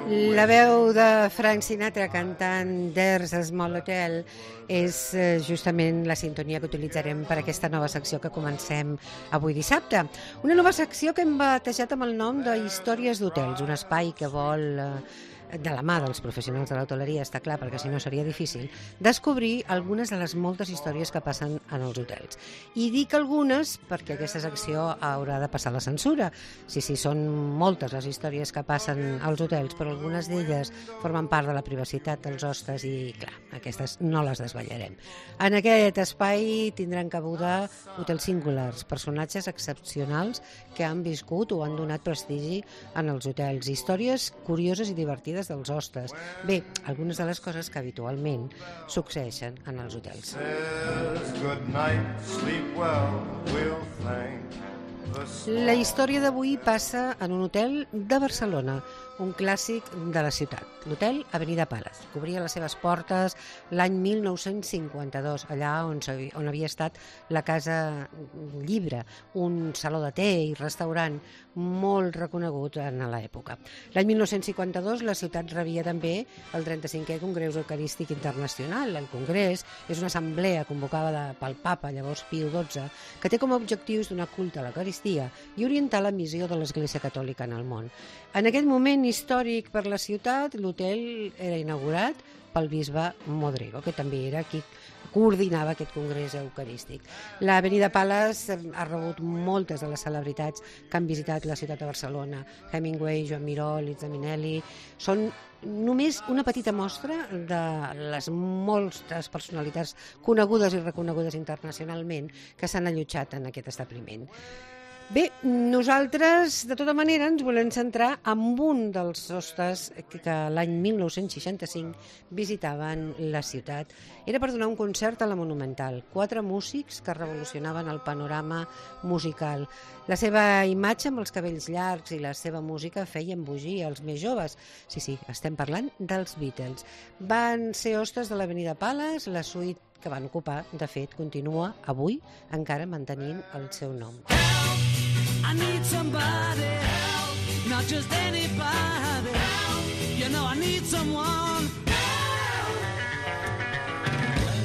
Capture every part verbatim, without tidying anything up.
La veu de Frank Sinatra cantant There's a Small Hotel és justament la sintonia que utilitzarem per aquesta nova secció que comencem avui dissabte. Una nova secció que hem batejat amb el nom de Històries d'Hotels, un espai que vol, de la mà dels professionals de l'hoteleria, està clar, perquè si no seria difícil, descobrir algunes de les moltes històries que passen en els hotels. I dic algunes perquè aquesta secció haurà de passar la censura. Sí, sí, són moltes les històries que passen als hotels, però algunes d'elles formen part de la privacitat dels hostes i, clar, aquestes no les desvetllarem. En aquest espai tindran cabuda hotels singulars, personatges excepcionals que han viscut o han donat prestigi en els hotels, històries curioses i divertides dels hostes. Bé, algunes de les coses que habitualment succeeixen en els hotels. La història d'avui passa en un hotel de Barcelona, un clàssic de la ciutat, l'hotel Avenida Palace. Cobria les seves portes l'any mil nou-cents cinquanta-dos, allà on, on havia estat la Casa Llibre, un saló de té i restaurant molt reconegut en l'època. L'any mil nou-cents cinquanta-dos la ciutat rebia també el trenta-cinquè Congrés Eucarístic Internacional. El Congrés és una assemblea convocada pel Papa, llavors Piu dotze, que té com a objectius donar culte a l'Eucaristia i orientar la missió de l'Església Catòlica en el món. En aquest moment històric per la ciutat, l'hotel era inaugurat pel bisbe Modrego, que també era qui coordinava aquest congrés eucarístic. L'Avenida Palace ha rebut moltes de les celebritats que han visitat la ciutat de Barcelona. Hemingway, Joan Miró, Liza Minnelli. Són només una petita mostra de les moltes personalitats conegudes i reconegudes internacionalment que s'han allotjat en aquest establiment. Bé, nosaltres, de tota manera, ens volem centrar en un dels hostes que, que l'any mil nou-cents seixanta-cinc visitaven la ciutat. Era per donar un concert a la Monumental. Quatre músics que revolucionaven el panorama musical. La seva imatge amb els cabells llargs i la seva música feien embogir els més joves. Sí, sí, estem parlant dels Beatles. Van ser hostes de l'Avenida Palace, la suite que van ocupar, de fet, continua avui encara mantenint el seu nom. I need somebody help, not just anybody help. You know I need someone help.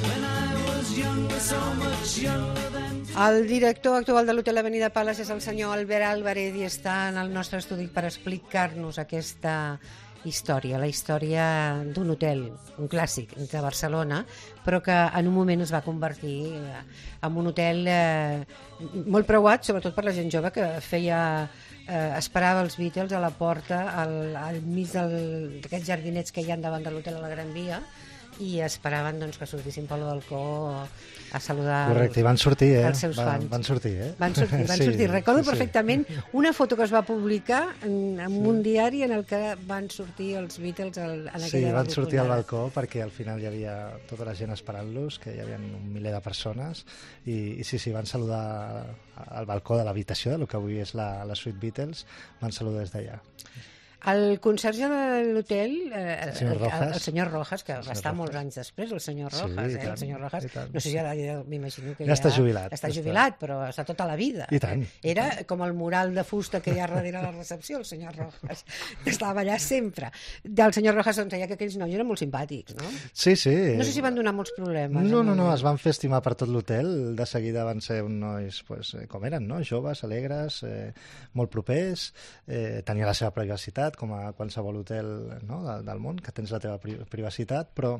When I was younger, so much younger than... El director actual de l'Hotel Avenida Palace és el senyor Albert Álvarez i està en el nostre estudi per explicar-nos aquesta història, la història d'un hotel, un clàssic de Barcelona, però que en un moment es va convertir en un hotel eh, molt preuat, sobretot per la gent jove que feia, eh, esperava els Beatles a la porta, al, al mig d'aquests jardinets que hi ha davant de l'hotel a la Gran Via, i esperaven doncs, que sortissin pel balcó a saludar. Correcte, i van sortir, eh? Els seus van, fans. Van sortir, eh? Van sortir, van sí, sortir. Recordo sí, perfectament sí. Una foto que es va publicar en, en sí. un diari en el que van sortir els Beatles en aquella Sí, van sortir al balcó perquè al final hi havia tota la gent esperant-los, que hi havia un miler de persones, i, i sí, sí, van saludar al balcó de l'habitació, del que avui és la, la suite Beatles, van saludar des d'allà. El conserge de l'hotel, eh, el, senyor Rojas, el, el senyor Rojas, que va estar molts anys després, el senyor Rojas, sí, eh, el senyor Rojas, no sé si ara ja m'imagino que ja, ja està jubilat. Està jubilat, però està tota la vida. I tant. Era com el mural de fusta que hi ha darrere la recepció, el senyor Rojas, que estava allà sempre. Del senyor Rojas doncs deia que aquells nois eren molt simpàtics, no? Sí, sí. No sé si van donar molts problemes. No, no, no, es van fer estimar per tot l'hotel, de seguida van ser uns nois, pues, com eren, no? Joves, alegres, eh, molt propers, eh, tenia la seva privacitat, com a qualsevol hotel, no, del, del món, que tens la teva pri privacitat, però,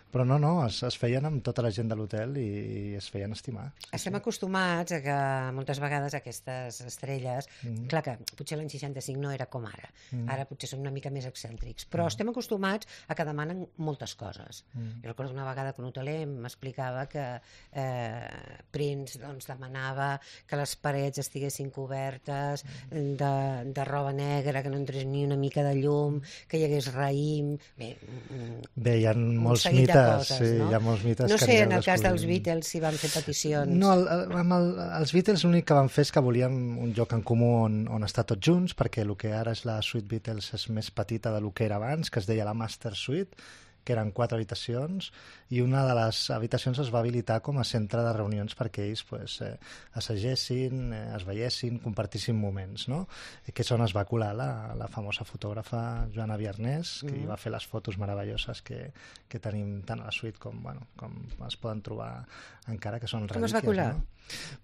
però no, no, es, es feien amb tota la gent de l'hotel i, i es feien estimar. Sí, Estem sí. acostumats a que moltes vegades aquestes estrelles, mm. clar que potser l'any seixanta-cinc no era com ara, mm. ara potser són una mica més excèntrics, però mm. estem acostumats a que demanen moltes coses. Mm. Jo recordo una vegada que un hoteler m'explicava que eh, Prince doncs, demanava que les parets estiguessin cobertes mm. de, de roba negra, que no entrés ni una mica de llum, que hi hagués raïm... Bé, Bé hi ha molts mites, coses, sí, no? Hi ha molts mites no que sé, en el cas dels Beatles si van fer peticions. No, el, amb el, els Beatles l'únic que van fer és que volíem un lloc en comú on, on estar tots junts, perquè el que ara és la suite Beatles és més petita del que era abans, que es deia la Master Suite, que eren quatre habitacions, i una de les habitacions es va habilitar com a centre de reunions perquè ells pues, eh, assagessin, eh, es veiessin, compartissin moments, no? Que és on es va colar la, la famosa fotògrafa Joana Viarnés, que mm. hi va fer les fotos meravelloses que, que tenim tant a la suite com, bueno, com es poden trobar encara, que són relíquies. Com es va colar? No?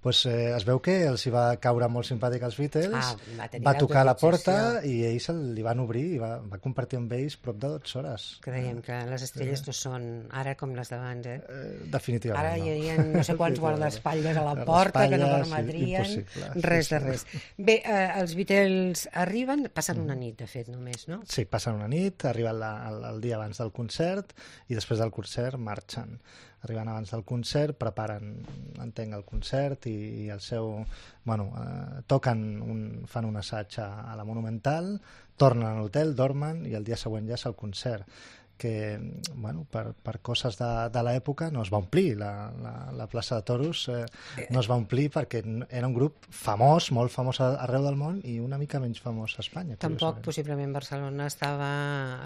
Pues, eh, es veu que els hi va caure molt simpàtic als Beatles, ah, va, va tocar a la porta i ells li van obrir i va, va compartir amb ells prop de dotze hores. Creiem que les estrelles no són ara com les d'abans, eh? eh? Definitivament ara no. Ara hi havia no sé quants guardaespatlles a la porta que no permetrien sí, res de res. Bé, eh, els Beatles arriben, passen una nit, de fet, només, no? Sí, passen una nit, arriben la, el, el dia abans del concert i després del concert marxen. Arriben abans del concert, preparen, entenc, el concert i, i el seu... Bueno, eh, toquen, un, fan un assaig a, a la Monumental, tornen a l'hotel, dormen i el dia següent ja és el concert, que bueno, per, per coses de, de l'època no es va omplir la, la, la plaça de Toros, eh, no es va omplir perquè era un grup famós, molt famós arreu del món i una mica menys famós a Espanya. Tampoc possiblement Barcelona estava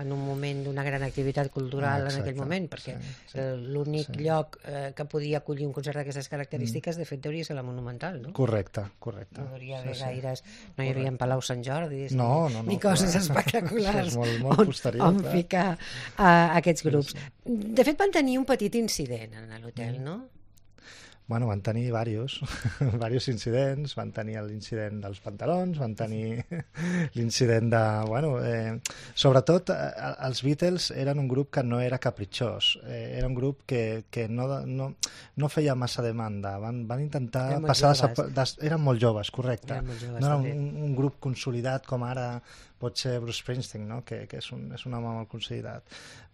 en un moment d'una gran activitat cultural ah, exacte, en aquell moment, perquè sí, sí, l'únic sí. lloc eh, que podia acollir un concert d'aquestes característiques mm. de fet hauria ser la Monumental, no? Correcte, correcte. No hauria haver sí, gaires, sí. no hi havia Palau Sant Jordi no, no, no, ni coses clar. espectaculars és molt, molt posterior, on, on ficar a aquests grups. Sí, sí. De fet, van tenir un petit incident en l'hotel, no? Bueno, van tenir diversos, diversos incidents, van tenir l'incident dels pantalons, van tenir l'incident de... Bueno, eh, sobretot, eh, els Beatles eren un grup que no era capritxós, eh, era un grup que, que no, no, no feia massa demanda, van, van intentar eren passar... Molt de, eren molt joves, correcte. Eren molt joves, no era un, un grup consolidat com ara pot ser Bruce Springsteen, no? que, que és, un, és un home molt consolidat.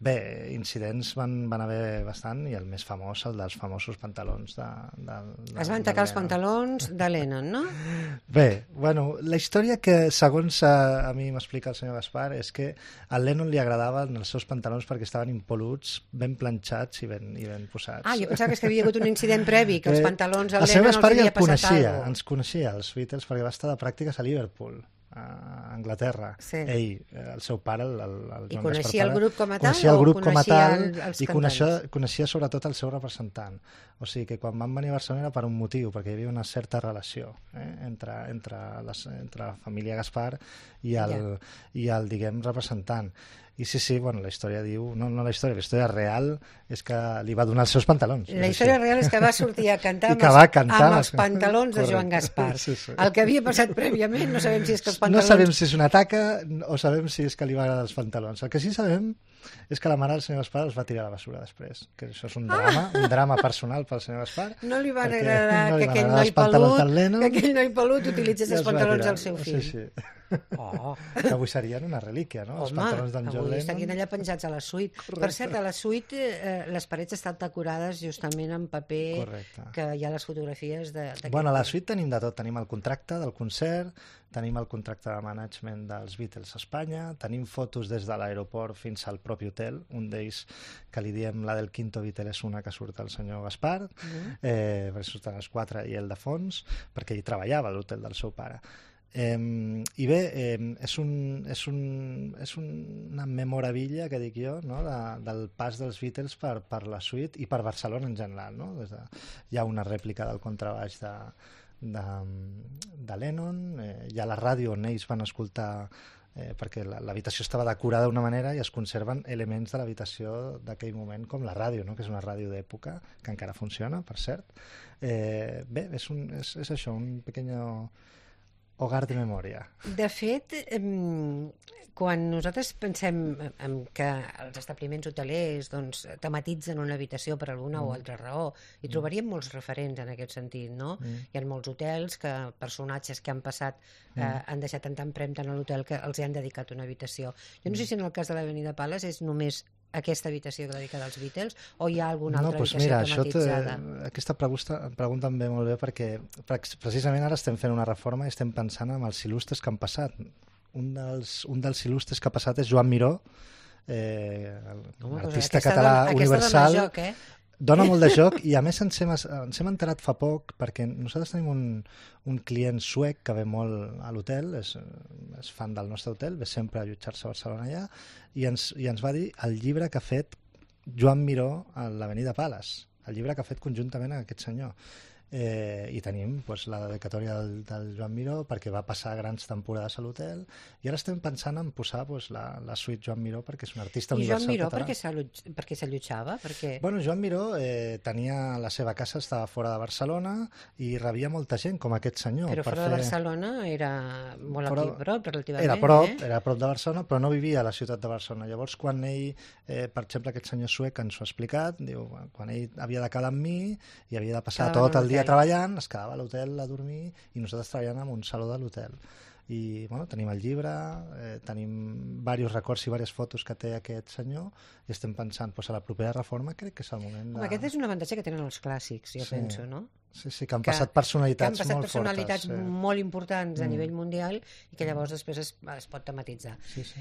Bé, incidents van, van haver bastant i el més famós, el dels famosos pantalons de... de, de es van tacar els pantalons de Lennon, no? Bé, bueno, la història que segons a, a mi m'explica el senyor Gaspar és que al Lennon li agradaven els seus pantalons perquè estaven impol·luts, ben planxats i ben, i ben posats. Ah, jo pensava que, és que havia hagut un incident previ, que els pantalons al Lennon els havia ja passat coneixia, alguna cosa. Ens coneixia, els Beatles, perquè va estar de pràctiques a Liverpool, a Anglaterra. Sí. Ell, el seu pare, el, el, el I Joan coneixia Gaspar, el grup com a tal? Coneixia el grup com a tal el, els i coneixia, coneixia sobretot el seu representant. O sigui que quan van venir a Barcelona era per un motiu, perquè hi havia una certa relació eh, entre, entre, les, entre la família Gaspar i el, ja. i el diguem, representant. I sí, sí, bueno, la història diu... No, no la història, la història real és que li va donar els seus pantalons. La història real és que va sortir a cantar amb, els, cantar amb els pantalons de Joan Gaspar. Sí, sí. El que havia passat prèviament no sabem si és que els pantalons... No sabem si és una taca o sabem si és que li va agradar els pantalons. El que sí sabem és que la mare del senyor Gaspar els va tirar a la basura després, que això és un drama, ah! un drama personal pel senyor Gaspar. No li va agradar no li que, aquell noi pelut, que aquell noi pelut utilitzés els pantalons del seu fill. Sí, sí. Oh. Que avui serien una relíquia, no? Home, els pantalons d'en John Lennon. Avui estarien allà penjats a la suite. Correcte. Per cert, a la suite eh, les parets estan decorades justament en paper. Correcte. Que hi ha les fotografies de... Bueno, a la suite tenim de tot. Tenim el contracte del concert, tenim el contracte de management dels Beatles a Espanya, tenim fotos des de l'aeroport fins al propi hotel, un d'ells que li diem la del quinto Beatle és una que surt el senyor Gaspar, mm. eh, perquè surten els quatre i ell de fons, perquè ell treballava a l'hotel del seu pare. Eh, I bé, eh, és, un, és, un, és una memorabilia, que dic jo, no? de, del pas dels Beatles per, per la suite i per Barcelona en general. No? Des de, hi ha una rèplica del contrabaix de, de, de Lennon, eh, hi ha la ràdio on ells van escoltar, eh, perquè l'habitació estava decorada d'una manera i es conserven elements de l'habitació d'aquell moment, com la ràdio, no? que és una ràdio d'època, que encara funciona, per cert. Eh, bé, és, un, és, és això, un pequeño... hogar de memòria. De fet, quan nosaltres pensem en que els establiments hotelers doncs, tematitzen una habitació per alguna mm. o altra raó, hi trobaríem molts referents en aquest sentit, no? Mm. Hi ha molts hotels que personatges que han passat mm. eh, han deixat tanta empremta en l'hotel que els hi han dedicat una habitació. Jo no sé si en el cas de l'Avenida Palace és només aquesta habitació dedicada als Beatles o hi ha alguna altra no, doncs habitació mira, tematitzada? Mira, aquesta pregunta, pregunta em ve molt bé perquè precisament ara estem fent una reforma i estem pensant en els il·lustres que han passat. Un dels, un dels il·lustres que ha passat és Joan Miró, eh, l'artista català dona, universal. Dona joc, eh? Dona molt de joc i a més ens hem, ens hem enterat fa poc perquè nosaltres tenim un, un client suec que ve molt a l'hotel, és, és fan del nostre hotel, ve sempre a allotjar-se a Barcelona allà i ens, i ens va dir el llibre que ha fet Joan Miró a l'Avenida Pales, el llibre que ha fet conjuntament amb aquest senyor. Eh, i tenim pues, la dedicatòria del, del Joan Miró perquè va passar grans temporades a l'hotel i ara estem pensant en posar pues, la, la suite Joan Miró perquè és un artista I universal Joan Miró català. perquè s'allotjava? Perquè... Bueno, Joan Miró eh, tenia la seva casa, estava fora de Barcelona i rebia molta gent, com aquest senyor. Però per fora fer... de Barcelona era molt Fora... aquí prop, relativament. Era prop, eh? era prop de Barcelona, però no vivia a la ciutat de Barcelona. Llavors, quan ell, eh, per exemple, aquest senyor suec ens ho ha explicat, diu, quan ell havia de quedar amb mi i havia de passar Quedava tot el dia hotel. treballant, es quedava a l'hotel a dormir i nosaltres treballant en un saló de l'hotel. I bueno, tenim el llibre, eh, tenim diversos records i diverses fotos que té aquest senyor i estem pensant, pues, a la propera reforma crec que és el moment de... Home, aquest és un avantatge que tenen els clàssics, jo Sí. penso, no? Sí, sí, que han Que- passat Que han personalitats passat molt personalitats fortes. Sí. molt importants a Mm. nivell mundial i que llavors després es, es pot tematitzar. Sí, sí.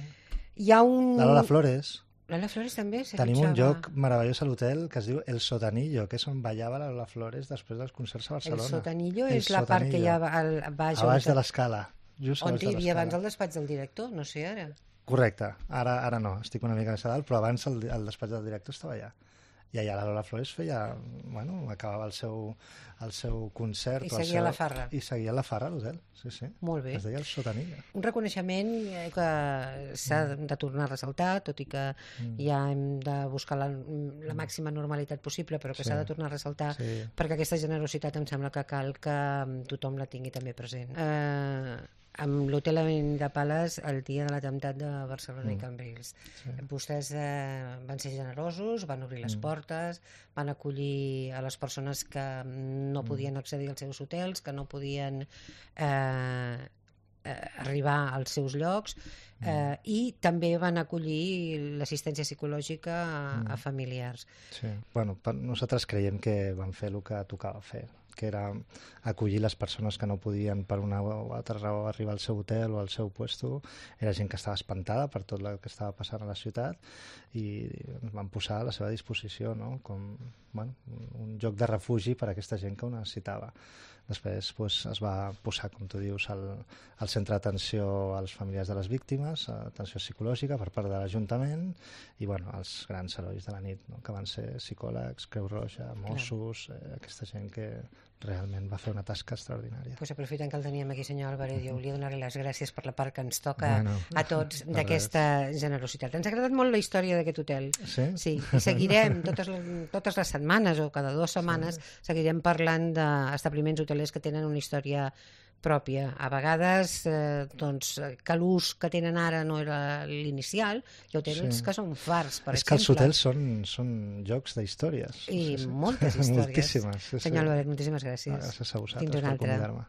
Hi ha un... La Lola Flores. Lola Flores també s'allotjava. Tenim un lloc meravellós a l'hotel que es diu El Sotanillo, que és on ballava la Lola Flores després dels concerts a El Barcelona. Sotanillo El és la part que hi ha Sotanillo. al, baix, A baix on, de l'escala. Just a on baix hi de havia abans l'escala. el despatx del director, no sé ara. Correcte. Ara, ara no, estic una mica més a dalt, però abans el, el despatx del director estava allà. I allà la Lola Flores feia, bueno, acabava el seu, el seu concert. I o el seguia seu... la farra. I seguia la farra a l'hotel, sí, sí. Molt bé. Es deia El Sotanillo. Un reconeixement eh, que s'ha de tornar a ressaltar, tot i que Mm. ja hem de buscar la, la màxima normalitat possible, però que Sí. s'ha de tornar a ressaltar Sí. perquè aquesta generositat em sembla que cal que tothom la tingui també present. Eh, amb l'hotel de Pales el dia de l'atemptat de Barcelona Mm. i Cambrils. Sí. Vostès eh, van ser generosos, van obrir les Mm. portes, van acollir a les persones que no Mm. podien accedir als seus hotels, que no podien eh, eh, arribar als seus llocs, eh, i també van acollir l'assistència psicològica a, Mm. a familiars. Sí. Bueno, per, nosaltres creiem que van fer el que tocava fer, que era acollir les persones que no podien per una o altra raó arribar al seu hotel o al seu puesto. Era gent que estava espantada per tot el que estava passant a la ciutat i ens van posar a la seva disposició, no? Com bueno, un lloc de refugi per a aquesta gent que ho necessitava. Després pues, es va posar, com tu dius, al, al centre d'atenció als familiars de les víctimes, atenció psicològica per part de l'Ajuntament i bueno, els grans herois de la nit, no? Que van ser psicòlegs, Creu Roja, Mossos, eh, aquesta gent que realment va fer una tasca extraordinària. Pues aprofitant que el teníem aquí, senyor Álvarez, jo volia donar-li les gràcies per la part que ens toca Bueno, a tots de d'aquesta generositat. Ens ha agradat molt la història d'aquest hotel. Sí? Sí, i seguirem totes les, totes les setmanes o cada dues setmanes seguirem parlant d'establiments hotelers que tenen una història pròpia. A vegades, eh, doncs, que l'ús que tenen ara no era l'inicial, hi ha hotels Sí. que són fars, per És exemple. que els hotels són, són jocs d'històries. I moltes històries. Moltíssimes. Sí, Senyor sí. Álvarez, moltíssimes gràcies. Gràcies a Fins vosaltres una per altra. convidar-me.